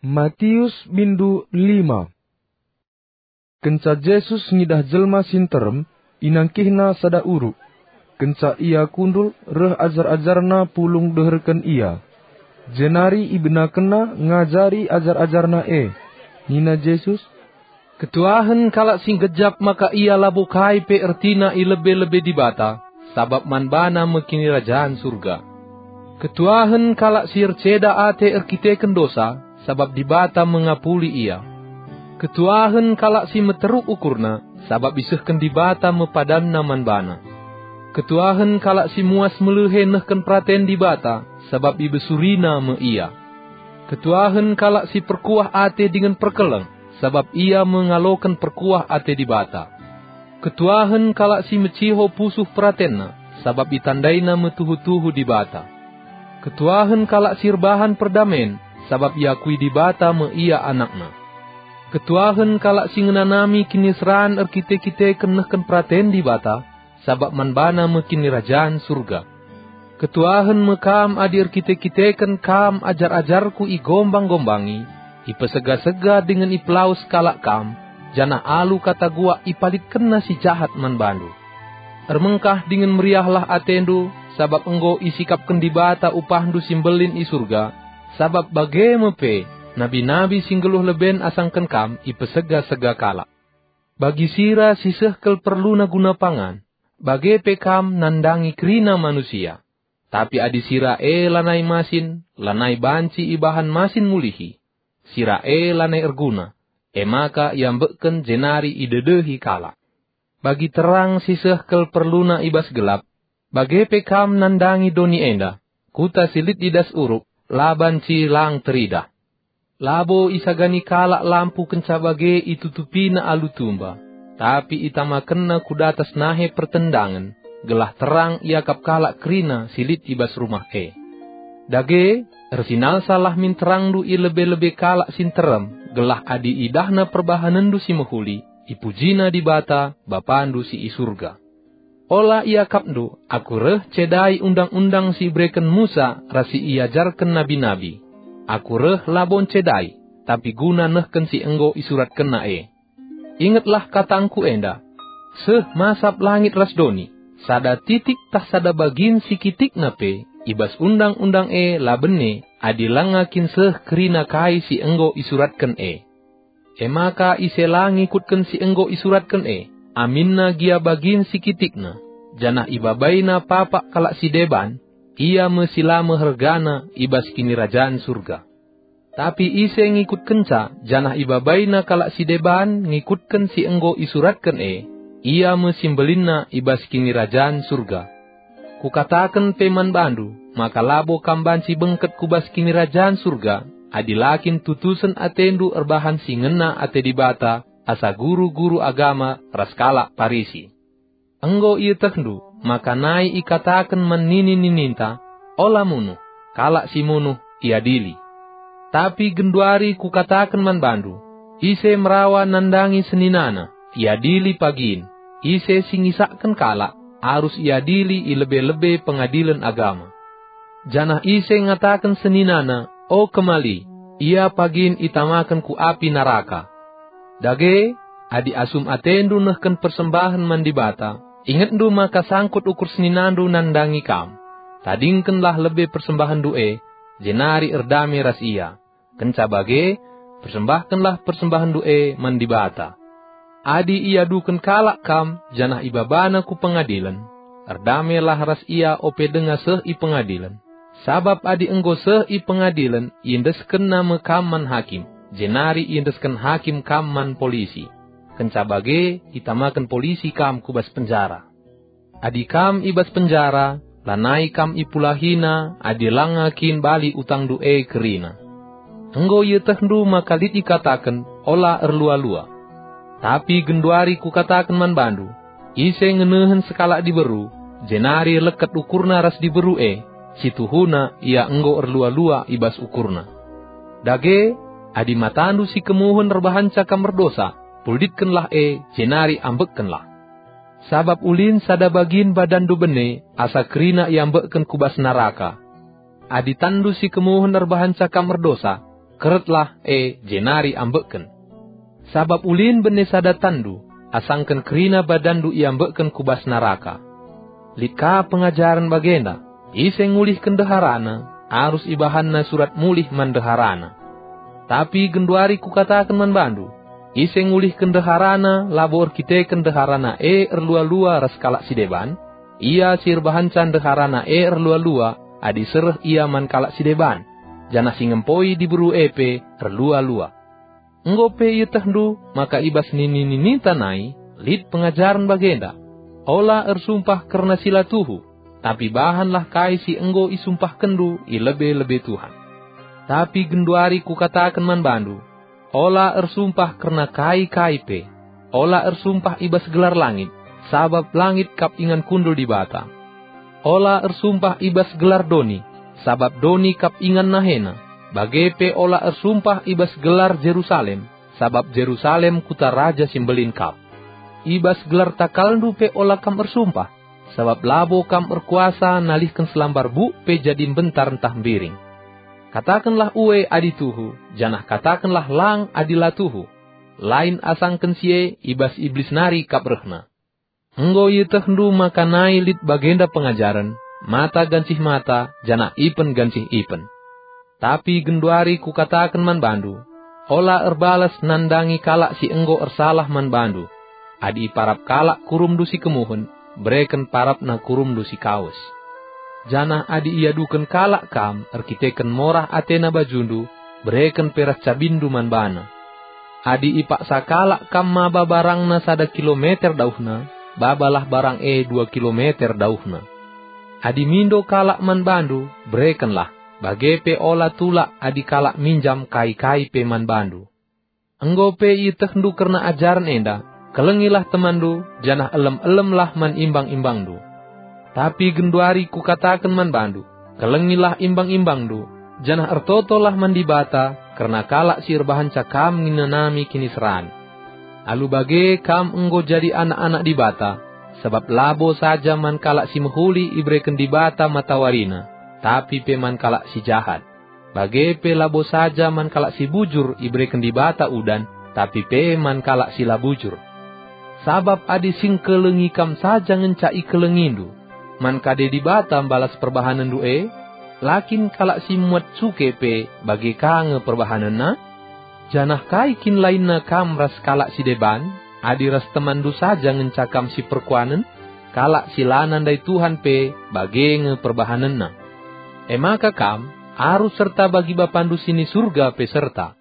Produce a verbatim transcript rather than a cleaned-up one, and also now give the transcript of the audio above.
Matius bindu lima. Kenca Jesus ngidah jelma si nterem, inangkihNa sada uruk. Kenca Ia kundul, reh ajar-ajarNa pulung deherken Ia. Jenari ibenakenNa ngajari ajar-ajarNa e. Nina Jesus, "Ketuahen kalak si ngejap maka ia labo kai pe ertina i lebe-lebe Dibata, sabap man bana me Kinirajan Surga. Ketuahen kalak si erceda ate erkiteken dosa, sabap Dibata me ngapuli ia. Ketuahen kalak si meteruk ukurna, sabap isehken Dibata me padanna man bana. Ketuahen kalak si muas melehe nehken peraten Dibata, sabap ibesurina me ia. Ketuahen kalak si perkuah ate dingen perkeleng, sabap ia me ngaloken perkuah ate Dibata. Ketuahen kalak si meciho pusuh peratenna, sabap itandaina me tuhu-tuhu Dibata. Ketuahen kalak si erbahan perdamen, sabap iakui Dibata me ia anakNa. Ketuahen kalak si ngenanami kiniseran erkite-kiteken nehken peraten Dibata, sabap man bana me Kinirajan Surga. Ketuahen me kam adi erkite-kiteken kam ajar-ajarKu igombang-gombangi, ipesega-sega dingen ipelawes kalak kam, janah alu kata guak ipalitkenna si jahat man bandu. Ermengkah dingen meriahlah atendu, sabap enggo isikapken Dibata upahndu si mbelin i Surga, sabap bage me pe nabi-nabi si nggeluh leben asangken kam ipesega-sega kalak. Bagi sira si seh kel perluna guna pangan, bage pe kam nandangi kerina manusia. Tapi adi sira e lanai masin, lanai banci ibahan masin mulihi. Sira e lanai erguna, e maka iambekken jenari idedehi kalak. Bagi terang si seh kel perluna i bas gelap, bage pe kam nandangi doni enda, kuta si lit i das uruk, la banci lang teridah. Labo isagani kalak lampu kenca bage itutupina alu tumba, tapi itamakenna ku datas nahe pertendangen, gelah terang iakap kalak kerina si lit i bas rumah e. Dage, ersinalsalah min terangndu i lebe-lebe kalak si nterem, gelah adi idahna perbahanenndu si mehuli, ipujina Dibata, Bapandu si i Surga. Ola iakapndu, Aku reh cedai undang-undang si ibereken Musa ras si iajarken nabi-nabi. Aku reh labo ncedai, tapi guna nehken si enggo isuratkenna e. Ingetlah katangku enda, seh masap langit ras doni, sada titik tah sada bagin si kitikna pe i bas undang-undang e la bene adi langa kin seh kerina kai si enggo isuratken e. E maka ise la ngikutken si enggo isuratken e, aminna gia bagin si kitikna, janah ibabaina papak kalak si deban, ia me si la mehergana i bas Kinirajan Surga. Tapi ise ngikutkenca janah ibabaina kalak si deban ngikutken si enggo isuratken e, ia me si mbelinna i bas Kinirajan Surga. Kukataken pe man bandu, maka labo kam banci bengket ku bas Kinirajan Surga, adi la kin tutusen atendu erbahan si ngena ate Dibata asa guru-guru agama ras kalak Parisi. Enggo ietehndu maka nai ikataken man nini-nininta, "Ola munuh," kalak si munuh iadili. Tapi genduari kukataken man bandu, ise merawa nandangi seninana, iadili pagin, ise si ngisakken kalak, arus iadili i lebe-lebe pengadilen agama. Janah ise ngataken seninana, "O kemali," ia pagin itamaken ku api naraka. Dage, adi asum atendu nehken persembahen man Dibata, ingetndu maka sangkut ukur seninandu nandangi kam. Tadingkenlah lebe persembahenndu e, jenari erdame ras ia. Kenca bage, persembahkenlah persembahenndu e man Dibata. Adi iaduken kalak kam janah ibabana ku pengadilen, erdamelah ras ia ope denga seh i pengadilen. Sabap adi enggo seh i pengadilen, iendeskenna me kam man hakim, jenari iendesken hakim kam man polisi. Kenca bage, itamaken polisi kam ku bas penjara. Adi kam i bas penjara, lanai kam ipulahina adi langa kin bali utangndu e kerina. Enggo ietehndu maka lit ikataken, "Ola erlua-lua." Tapi genduari kukataken man bandu, ise ngenehen sekalak diberu, jenari leket ukurna ras diberu e, situhuna ia enggo erlua-lua i bas ukurna. Dage, adi matandu si kemuhen erbahanca kam erdosa, pulditkenlah e, jenari ambekkenlah. Sabap ulin sada bagin badanndu bene asa kerina iambekken ku bas naraka. Adi tanndu si kemuhen erbahanca kam erdosa, Keretlah e jenari ambekken. Sabap ulin bene sada tanndu, asangken kerina badanndu iambekken ku bas naraka. Lit ka pengajaren bagenda, ise ngulihken ndeharana, arus ibahanna surat mulih man ndeharana. Tapi genduari kukataken man bandu, ise ngulihken ndeharana labo erkiteken ndeharana e erlua-lua ras kalak si deban, ia si erbahanca ndeharana e erlua-lua adi sereh ia man kalak si deban, janah si ngempoi diberu e pe erlua-lua. Enggo pe ietehndu maka i bas nini-nininta nai lit pengajaren bagenda, "Ola ersumpah kerna si la tuhu, tapi bahanlah kai si enggo isumpahkenndu i lebe-lebe Tuhan." Tapi genduari kukataken man bandu, ola ersumpah kerna kai-kai pe. Ola ersumpah i bas gelar langit, sabap langit kap ingan kundul Dibata. Ola ersumpah i bas gelar doni, sabap doni kap ingan nahena. Bage pe ola ersumpah i bas gelar Jerusalem, sabap Jerusalem kuta Raja si Mbelin kap. I bas gelar takalndu pe ola kam ersumpah, sabap labo kam erkuasa nalihken selambar buk pe jadi mbentar ntah mbiring. Katakenlah ue adi tuhu, janah katakenlah lang adi la tuhu. Lain asangken si e, i bas Iblis nari kap rehna. Enggo ietehndu maka nai lit bagenda pengajaren, mata gancih mata, janah ipen gancih ipen. Tapi genduari kukataken man bandu, ola erbalas nandangi kalak si enggo ersalah man bandu. Adi iparap kalak kurumndu si kemuhen, bereken parapna kurumndu si kawes. Janah adi iaduken kalak kam erkiteken morah atena bajundu, bereken pe ras cabinndu man bana. Adi ipaksa kalak kam maba barangna sada kilometer dauhna, babalah barang e dua kilometer dauhna. Adi mindo kalak man bandu, berekenlah, bage pe ola tulak adi kalak minjam kai-kai pe man bandu. Enggo pe ietehndu kerna ajaren enda, kelengilah temanndu, janah elem-elemlah man imbang-imbangndu. Tapi genduari kukataken man bandu, kelengilah imbang-imbangndu, janah ertotolah man Dibata kerna kalak si erbahanca kam ngenanami kiniseran. Alu bage kam enggo jadi anak-anak Dibata, sabap labo saja man kalak si mehuli ibereken Dibata matawarina, tapi pe man kalak si jahat. Bage pe labo saja man kalak si bujur ibereken Dibata udan, tapi pe man kalak si la bujur. Sabap adi si ngkelengi kam saja ngenca ikelengindu, man kade Dibata mbalas perbahanenndu e? La kin kalak si muat cuke pe bage ka nge perbahanenna? Janah kai kin lainna kam ras kalak si deban, adi ras temanndu saja ngenca kam si perkuanen? Kalak si la nandai Tuhan pe bage nge perbahanenna. E maka kam arus serta bagi Bapandu si ni Surga pe serta.